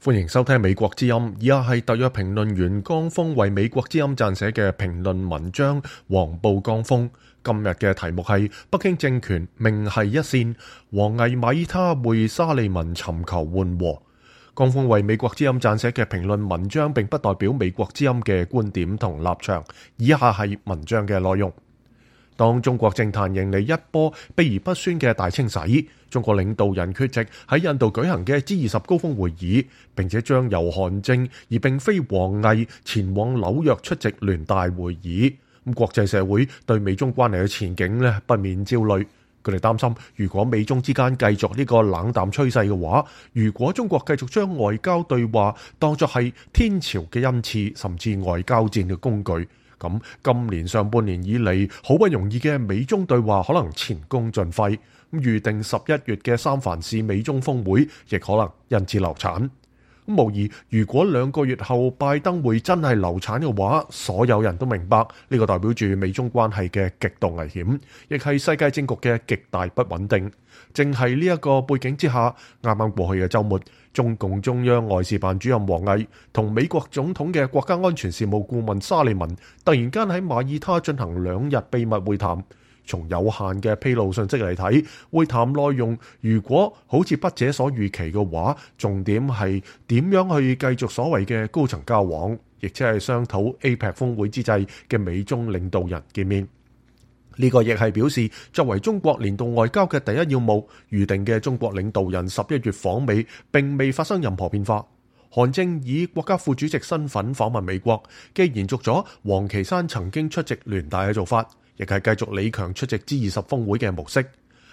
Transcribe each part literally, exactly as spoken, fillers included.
歡迎收聽美國之音，以下係特約評論員江峰為美國之音撰寫嘅評論文章。黃報江峰今日嘅題目係北京政權命繫一線，王毅馬耳他會沙利文尋求緩和。江峰為美國之音撰寫嘅評論文章並不代表美國之音嘅觀點同立場，以下係文章嘅內容。當中國政壇迎嚟一波秘而不宣嘅大清洗，中國領導人缺席喺印度舉行嘅 G 二十高峰會議，並且將由韓正而並非王毅前往紐約出席聯大會議。咁國際社會對美中關係嘅前景呢，不免焦慮。佢哋擔心，如果美中之間繼續呢個冷淡趨勢嘅話，如果中國繼續將外交對話當作係天朝嘅恩賜，甚至外交戰嘅工具，咁今年上半年以嚟好不容易嘅美中對話可能前功盡廢，咁預定十一月嘅三藩市美中峰會亦可能因此流產。咁無疑，如果兩個月後拜登會真係流產嘅話，所有人都明白呢個代表住美中關係嘅極度危險，亦係世界政局嘅極大不穩定。正係呢一個背景之下，啱啱過去嘅週末，中共中央外事辦主任王毅同美國總統嘅國家安全事務顧問沙利文突然間喺馬耳他進行兩日秘密會談。從有限嘅披露信息嚟睇，會談內容如果好似筆者所預期嘅話，重點係點樣去繼續所謂嘅高層交往，亦即係商討 A P E C 峰會之際嘅美中領導人見面。呢個亦係表示，作為中國聯動外交嘅第一要務，預定嘅中國領導人十一月訪美並未發生任何變化。韓正以國家副主席身份訪問美國，既延續咗王岐山曾經出席聯大嘅做法，亦係繼續李強出席 G 二十峰會嘅模式，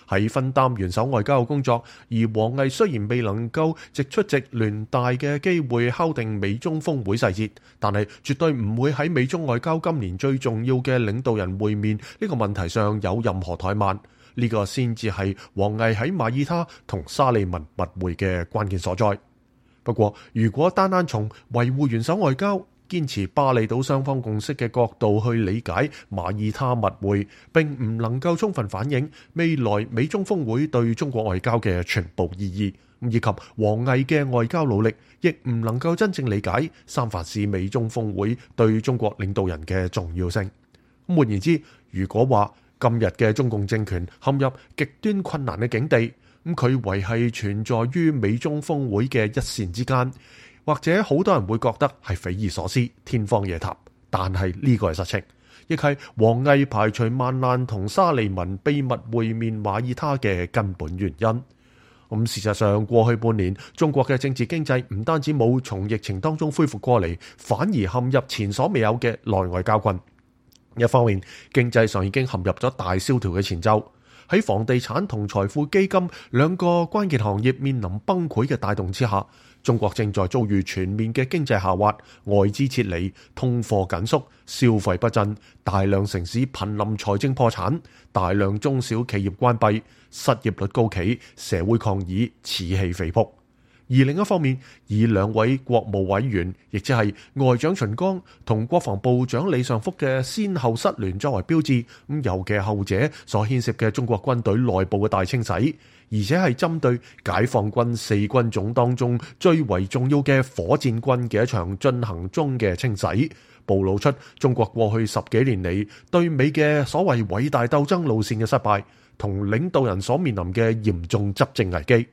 喺分擔元首外交嘅工作。而王毅雖然未能夠藉出席聯大嘅機會敲定美中峰會細節，但係絕對唔會喺美中外交今年最重要嘅領導人會面呢個問題上有任何怠慢。呢個先至係王毅喺馬耳他同沙利文密會嘅關鍵所在。不過，如果單單從維護元首外交、堅持巴厘島雙方共識嘅角度去理解馬耳他密會，並唔能夠充分反映未來美中峰會對中國外交嘅全部意義，以及王毅嘅外交努力，亦唔能夠真正理解三藩市美中峰會對中國領導人嘅重要性。換言之，如果話今日嘅中共政權陷入極端困難嘅境地，咁佢唯係存在於美中峰會嘅一線之間，或者好多人會覺得係匪夷所思、天方夜譚，但係呢個係實情，亦係王毅排除萬難同沙利文秘密會面馬耳他嘅根本原因。咁事實上，過去半年中國嘅政治經濟唔單止冇從疫情當中恢復過嚟，反而陷入前所未有嘅內外交困。一方面，經濟上已經陷入咗大蕭條嘅前奏。喺房地產同財富基金兩個關鍵行業面臨崩潰嘅帶動之下，中國正在遭遇全面嘅經濟下滑、外資撤離、通貨緊縮、消費不振、大量城市瀕臨財政破產、大量中小企業關閉、失業率高企、社會抗議此起彼伏。而另一方面，以兩位國務委員，亦即係外長秦剛同國防部長李尚福嘅先後失聯作為標誌，咁尤其後者所牽涉嘅中國軍隊內部嘅大清洗，而且係針對解放軍四軍種當中最為重要嘅火箭軍嘅一場進行中嘅清洗，暴露出中國過去十幾年嚟對美嘅所謂偉大鬥爭路線嘅失敗，同領導人所面臨嘅嚴重執政危機。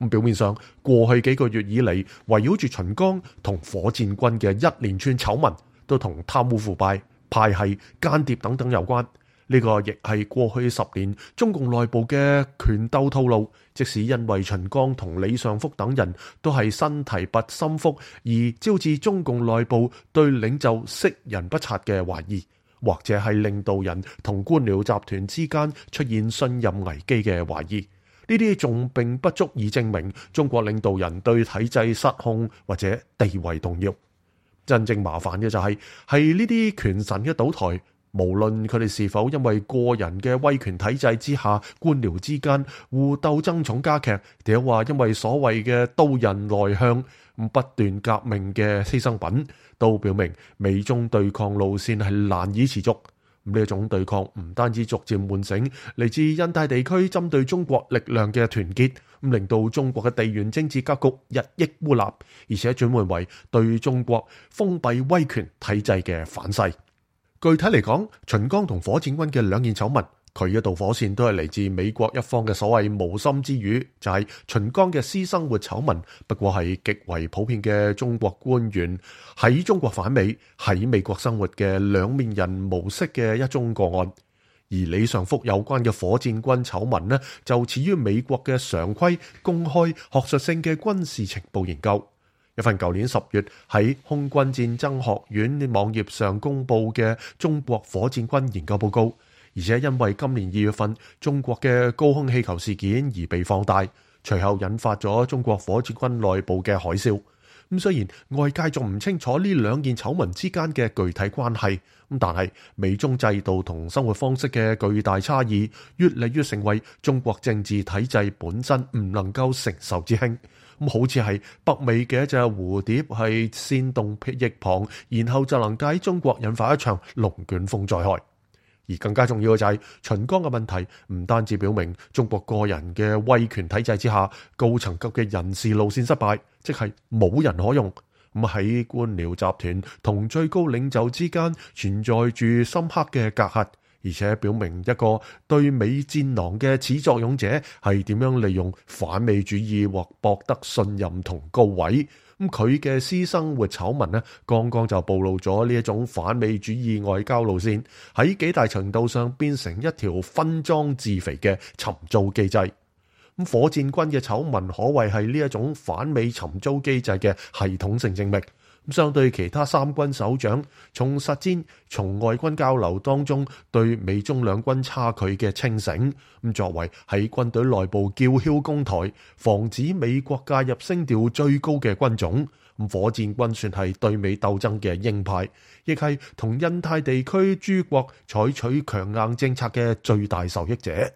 咁表面上，過去幾個月以嚟，圍繞住秦剛同火箭軍嘅一連串醜聞，都同貪污腐敗、派系、間諜等等有關。呢個亦係過去十年中共內部嘅權鬥套路。即使因為秦剛同李尚福等人都係身提拔心腹，而招致中共內部對領袖識人不察嘅懷疑，或者係領導人同官僚集團之間出現信任危機嘅懷疑。呢啲仲並不足以證明中國領導人對體制失控或者地位動搖。真正麻煩嘅就係係呢啲權臣嘅倒台，無論佢哋是否因為個人嘅威權體制之下官僚之間互鬥爭寵加劇，定係話因為所謂嘅刀刃內向不斷革命嘅犧牲品，都表明美中對抗路線係難以持續。呢一種對抗唔單止逐漸喚醒嚟自印太地區針對中國力量嘅團結，咁令到中國嘅地緣政治格局日益孤立，而且轉換為對中國封閉威權體制嘅反噬。具體嚟講，秦剛同火箭軍嘅兩件醜聞，佢一道火線都係嚟自美國一方嘅所謂無心之語，就係秦剛嘅私生活醜聞，不過係極為普遍嘅中國官員喺中國反美、喺美國生活嘅兩面人模式嘅一宗個案。而李尚福有關嘅火箭軍醜聞呢，就始於美國嘅常規、公開、學術性嘅軍事情報研究。一份舊年十月喺空軍戰爭學院網頁上公布嘅中國火箭軍研究報告，而且因為今年二月份中國嘅高空氣球事件而被放大，隨後引發咗中國火箭軍內部嘅海嘯。咁雖然外界仲唔清楚呢兩件醜聞之間嘅具體關係，咁但係美中制度同生活方式嘅巨大差異，越嚟越成為中國政治體制本身唔能夠承受之輕。咁好似係北美嘅一隻蝴蝶係扇動翼膀，然後就能喺中國引發一場龍捲風災害。而更加重要嘅就係秦剛嘅問題，唔單止表明中國個人嘅威權體制之下，高層級嘅人事路線失敗，即係冇人可用。咁喺官僚集團同最高領袖之間存在住深刻嘅隔閡，而且表明一個對美戰狼嘅始作俑者係點樣利用反美主義或博得信任同高位。咁佢嘅私生活醜聞呢，剛剛就暴露咗呢一種反美主義外交路線喺幾大程度上變成一條分贓自肥嘅尋租機制。咁火箭軍嘅醜聞可謂係呢一種反美尋租機制嘅系統性證明。咁相對其他三軍首長從實戰、從外軍交流當中對美中兩軍差距嘅清醒，咁作為喺軍隊內部叫囂攻台，防止美國介入聲調最高嘅軍種，咁火箭軍算係對美鬥爭嘅鷹派，亦係同印太地區諸國採取強硬政策嘅最大受益者。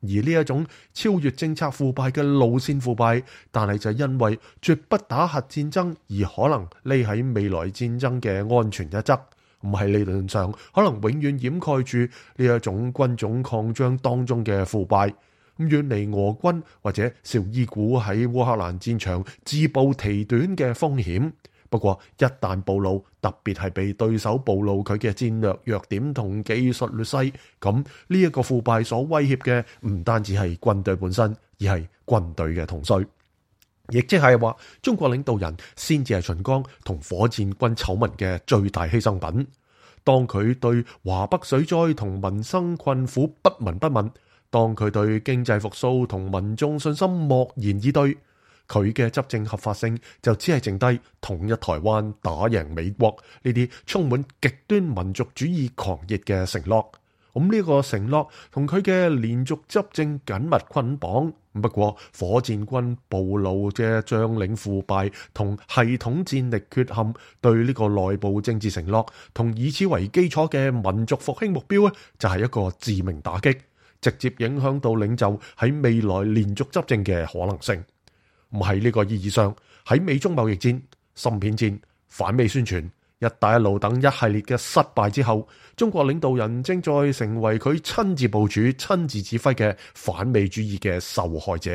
而呢一種超越政策腐敗嘅路線腐敗，但係就因為絕不打核戰爭而可能匿喺未來戰爭嘅安全一側，唔係理論上可能永遠掩蓋住呢一種軍種擴張當中嘅腐敗，咁遠離俄軍或者紹伊古喺烏克蘭戰場自暴其短嘅風險。不過一旦暴露，特別係被對手暴露佢嘅戰略弱點同技術劣勢，咁呢一個腐敗所威脅嘅唔單止係軍隊本身，而係軍隊嘅統帥，亦即係話中國領導人先至係秦剛同火箭軍醜聞嘅最大犧牲品。當佢對華北水災同民生困苦不聞不問，當佢對經濟復甦同民眾信心漠然以對，佢嘅執政合法性就只係剩低統一台灣、打贏美國呢啲充滿極端民族主義狂熱嘅承諾。咁呢個承諾同佢嘅連續執政緊密捆綁。不過火箭軍暴露嘅將領腐敗同系統戰力缺陷，對呢個內部政治承諾同以此為基礎嘅民族復興目標咧，就係一個致命打擊，直接影響到領袖喺未來連續執政嘅可能性。唔係呢個意義上，喺美中貿易戰、芯片戰、反美宣傳、一帶一路等一系列嘅失敗之後，中國領導人正在成為佢親自部署、親自指揮嘅反美主義嘅受害者。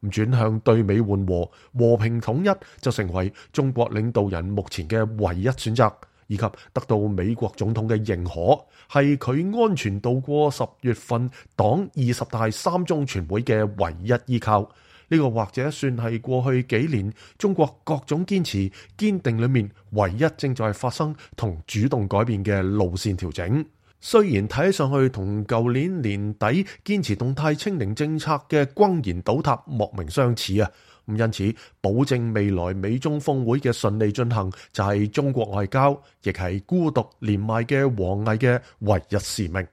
咁轉向對美緩和、和平統一，就成為中國領導人目前嘅唯一選擇，以及得到美國總統嘅認可，係佢安全度過十月份黨二十大三中全會嘅唯一依靠。呢個或者算係過去幾年中國各種堅持堅定裏面唯一正在發生同主動改變嘅路線調整。雖然睇上去同舊年年底堅持動態清零政策嘅轟然倒塌莫名相似啊！咁因此保證未來美中峰會嘅順利進行，就係中國外交亦係孤獨連麥嘅王毅嘅唯一使命。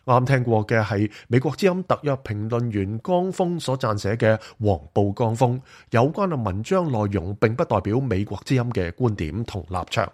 啱聽過嘅係美國之音特約評論員江峰所撰寫嘅《黃報江峰》有關嘅文章內容，並不代表美國之音嘅觀點同立場。